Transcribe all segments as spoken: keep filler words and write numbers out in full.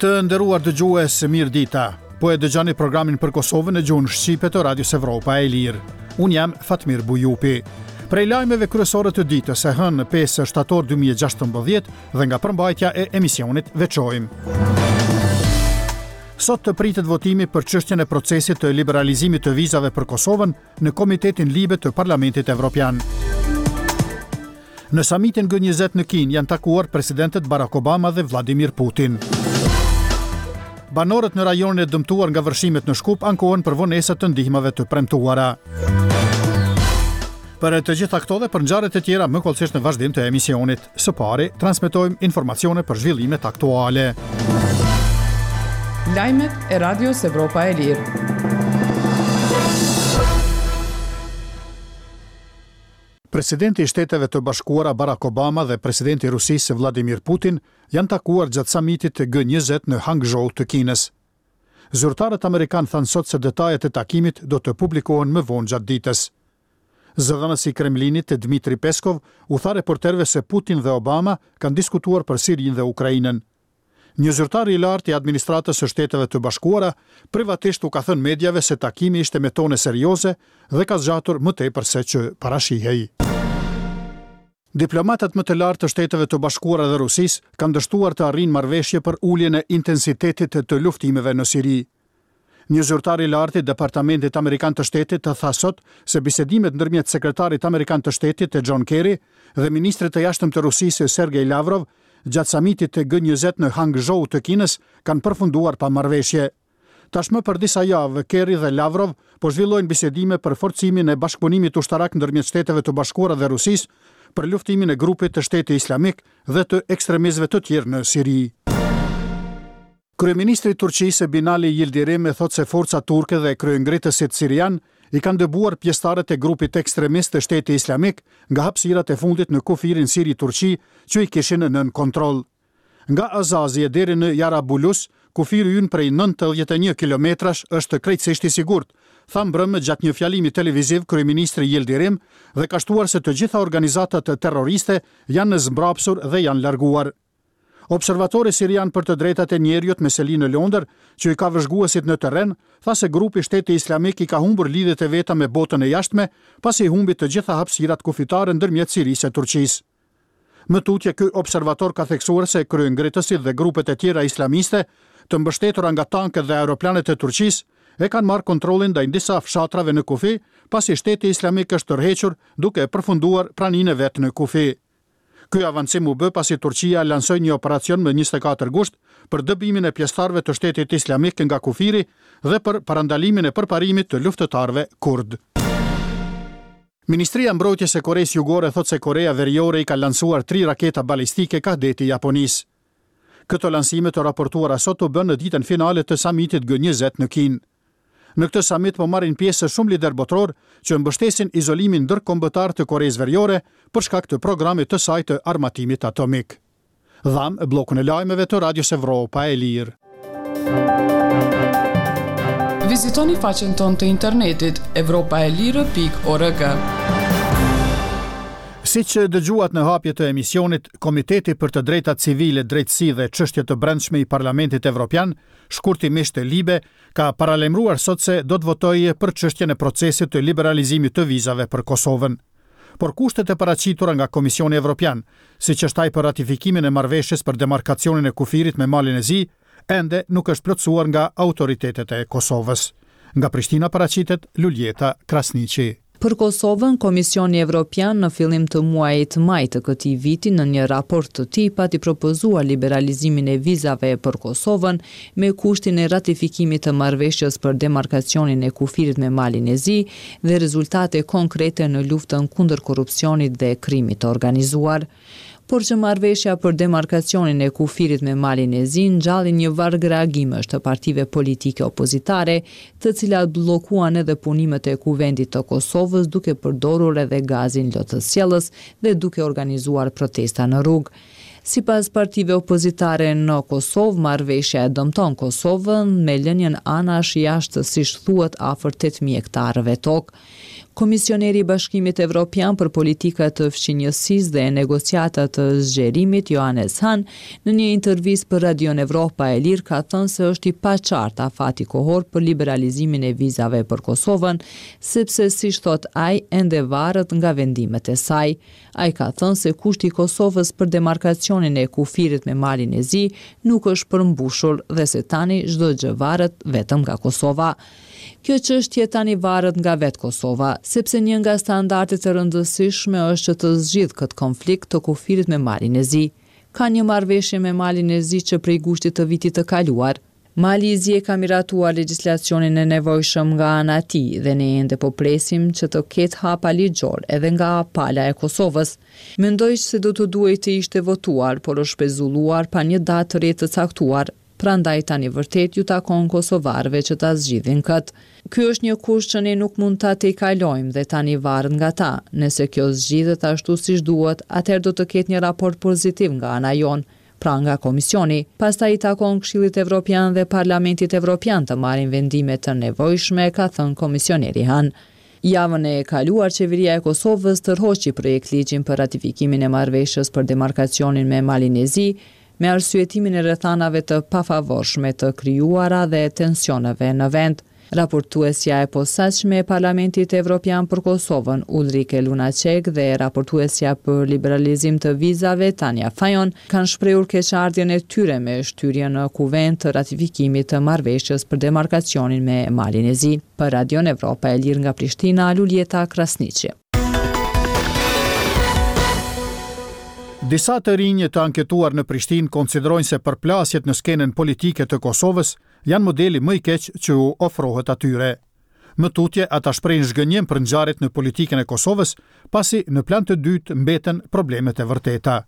Të nderuar dëgjues, mirë dita. Po e dëgjoni programin për Kosovën në gjuhën shqipe të Radios Evropa e Lirë. Unë jam Fatmir Bujupi. Prej lajmeve kryesore të ditës e hënë pesë shtator dy mijë e gjashtëmbëdhjetë dhe nga përmbajtja e emisionit veçojmë. Sot të pritet votimi për çështjen e procesit të liberalizimit të vizave për Kosovën në Komitetin Libe të Parlamentit Evropian. Në samitin G njëzet në Kinë janë takuar presidentët Barack Obama dhe Vladimir Putin. Banorët në rajonin e dëmtuar nga vërshimet në Shkup ankohen për vonesat të ndihmave të premtuara. Për të gjitha këto dhe për ngjarjet e tjera më hollësisht në vazhdim të emisionit. Së pari, transmetojmë informacione për zhvillimet aktuale. Lajmet e Radios Evropa e Lirë. Presidenti i Shteteve të Bashkuara Barack Obama dhe presidenti i Rusisë Vladimir Putin janë takuar gjatë samitit të G njëzet në Hangzhou të Kinës. Zyrtarët amerikanë thanë sot se detajet e takimit do të publikohen më vonë gjatë ditës. Zëdhënësi i Kremlinit Dmitri Peskov u tha reporterëve se Putin dhe Obama kanë diskutuar për Sirinë dhe Ukrainën. Një zyrtar i lartë i administratës së Shteteve të Bashkuara privatisht u ka thënë mediave se takimi ishte me tone serioze dhe ka zgjatur më tepër se që parashihej. Diplomatët më të lartë të Shteteve të Bashkuara dhe Rusisë kanë dështuar të arrijnë marrëveshje për uljen e intensitetit të luftimeve në Siri. Një zyrtar i lartë i Departamentit Amerikan të Shtetit tha sot se bisedimet ndërmjet sekretarit amerikan të Shtetit të John Kerry dhe ministrit të jashtëm të Rusisë Sergej Lavrov gjatë samitit të G njëzet në Hangzhou të Kinës kanë përfunduar pa marrëveshje. Tashmë për disa javë, Kerry dhe Lavrov po zhvillojnë bisedime për forcimin e bashkëpunimit ushtarak ndërmjet Shteteve të Bashkuara dhe Rusisë për luftimin e grupit të Shtetit Islamik dhe të ekstremistëve të tjerë në Siri. Kryeministri i Turqisë Binali Yildirim thotë se forcat turke dhe kryengritësit sirian i kanë dëbuar pjesëtarët e grupit ekstremist të Shtetit Islamik nga hapësirat e fundit në kufirin Siri-Turqi që i kishin nën kontroll. Nga Azazi e deri në Jarabulus, kufiri ynë prej nëntëdhjetë e një kilometrash është krejtësisht i sigurt, tha mbrëmë gjatë një fjalimi televiziv kryeministri Yildirim dhe ka shtuar se të gjitha organizatat terroriste janë zmbrapsur dhe janë larguar. Observatori sirian për të drejtat e njeriut me seli në Londër, që i ka vëzhguesit në terren, tha se grupi Shteti Islamik i ka humbur lidhjet e veta me botën e jashtme, pasi i humbi të gjitha hapësirat kufitare ndërmjet Sirisë e Turqisë. Më tutje, ky observator ka theksuar se kryengritësit dhe grupet e tjera islamiste, të mbështetura nga tanket dhe aeroplanët e Turqisë, e kanë marrë kontrollin ndaj disa fshatrave në kufi, pasi Shteti Islamik është tërhequr duke përfunduar praninë e vet në kufi. Ky avancim u bë pasi Turqia lansoi një operacion më njëzet e katër gusht për dëbimin e pjesëtarëve të Shtetit Islamik nga kufiri dhe për parandalimin e përparimit të luftëtarëve kurd. Ministria e Mbrojtjes e Koresë Jugore thotë se Korea Veriore i ka lansuar tri raketa balistike kah deti i Japonisë. Këto lansime të raportuara sot u bënë në ditën finale të samitit G njëzet në Kinë. Në këtë samit po marrin pjesë shumë lider botror që mbështesin izolimin ndërkombëtar të Koresë Veriore për shkak të programit të saj të armatimit atomik. Dham bllokun e lajmeve të Radios Evropa e Lirë. Vizitoni faqen tonë të internetit evropa e lirë pikë org. Siç dëgjuat në hapje të emisionit, Komiteti për të Drejtat Civile, Drejtësi dhe Çështje të Brendshme i Parlamentit Evropian, shkurtimisht Libe, ka paralajmëruar sot se do të votojë për çështjen e procesit të liberalizimit të vizave për Kosovën. Por kushtet e paraqitura nga Komisioni Evropian, siç është ai për ratifikimin e marrëveshjes për demarkacionin e kufirit me Malin e Zi, ende nuk është plotësuar nga autoritetet e Kosovës. Nga Prishtina paraqitet Luljeta Krasniqi. Për Kosovën, Komisioni Evropian në fillim të muajit maj të këtij viti në një raport të tij pati propozuar liberalizimin e vizave për Kosovën me kushtin e ratifikimit të marrëveshjes për demarkacionin e kufirit me Malin e Zi dhe rezultate konkrete në luftën kundër korrupsionit dhe krimit të organizuar. Por që marrëveshja për demarkacionin e kufirit me Malin e Zi ngjalli një varg reagimesh të partive politike opozitare, të cilat bllokuan edhe punimet e Kuvendit të Kosovës duke përdorur edhe gazin lotësjellës dhe duke organizuar protesta në rrugë. Sipas partive opozitare në Kosovë, marrëveshja e dëmton Kosovën me lënien anash jashtë, siç thuhet, afër tetë mijë hektarëve tokë. Komisioneri i Bashkimit Evropian për Politika të Fqinjësisë dhe Negociata të Zgjerimit, Johannes Hahn, në një intervistë për Radion Evropa e Lirë ka thënë se është i paqartë afati kohor për liberalizimin e vizave për Kosovën, sepse, siç thotë ai, ende varet nga vendimet e saj. Ai ka thënë se kushti i Kosovës për demarkacionin e kufirit me Malin e Zi nuk është përmbushur dhe se tani çdo gjë varet vetëm nga Kosova. Kjo çështje tani varet nga vetë Kosova, sepse një nga standardet e rëndësishme është që të zgjidhë këtë konflikt të kufirit me Malin e Zi. Ka një marrëveshje me Malin e Zi që prej gushtit të vitit të kaluar. Mali i Zi e ka miratuar legjislacionin e nevojshëm nga ana e tij dhe ne ende po presim që të ketë hapa ligjor edhe nga pala e Kosovës. Mendoj se do të duhej të ishte votuar, por është pezulluar pa një datë të re të caktuar. Prandaj tani vërtet ju takon kosovarëve që ta zgjidhin këtë. Ky është një kusht që ne nuk mund ta tejkalojmë dhe tani varet nga ta. Nëse kjo zgjidhet ashtu siç duhet, atëherë do të ketë një raport pozitiv nga ana jonë, pra nga Komisioni. Pastaj i takon Këshillit Evropian dhe Parlamentit Evropian të marrin vendime të nevojshme, ka thënë komisioneri Hahn. Javën e kaluar, Qeveria e Kosovës tërhoqi projektligjin për ratifikimin e marrëveshjes për demarkacionin me Malin e Zi, me arsyetimin e rrethanave të pafavorshme të krijuara dhe tensioneve në vend. Raportuesja e posaçme e Parlamentit Evropian për Kosovën, Ulrike Lunacek, dhe raportuesja për liberalizim të vizave, Tanja Fajon, kanë shprehur keqardhjen e tyre me shtyrjen në kuvend të ratifikimit të marrëveshjes për demarkacionin me Malin e Zi. Për Radion Evropa e Lirë nga Prishtina, Luljeta Krasniqi. Disa të rinj të anketuar në Prishtinë konsiderojnë se përplasjet në skenën politike të Kosovës janë modeli më i keq që u ofrohet atyre. Më tutje, ata shprehin zhgënjim për ngjarjet në politikën e Kosovës, pasi në plan të dytë mbeten problemet e vërteta.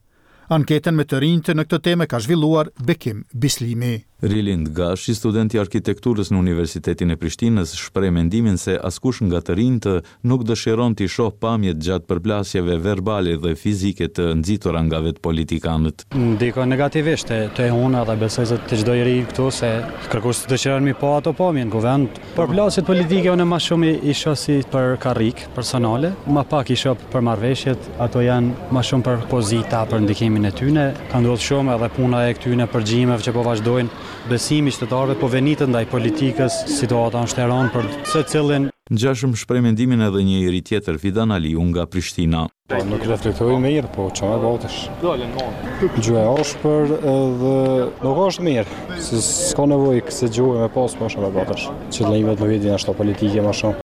Anketën me të rinjtë në këtë temë ka zhvilluar Bekim Bislimi. Rilind Gashi, student i arkitekturës në Universitetin e Prishtinës, shpreh mendimin se askush nga të rinjtë nuk dëshiron t'i shoh pamjet gjatë përplasjeve verbale dhe fizike të nxitura nga vetë politikanët. Ndikon negativisht te, te unë dhe besoj se te çdo i ri këtu se kërkush dëshiron mi pa ato pamje në kuvend. Përplasjet politike unë më shumë i shoh si për karrik personale, më pak i shoh për marrëveshjet, ato janë më shumë për pozita, për ndikimin e tyre. Ka ndodhur shumë edhe puna e këtyre përgjimeve që po vazhdojnë. Besimi i qytetarëve po venitet ndaj politikës, situata është e rëndë për secilin. Ngjashëm shpreh mendimin edhe një i ri tjetër, Fidan Aliu nga Prishtina. Po, nuk reflektoj mirë, po që me botesh. Gjuhë e ashpër edhe nuk është mirë, se s'ka nevojë këse gjuhë me pas, po është me botesh. Qëllimet nuk i din ashtu politike më shumë.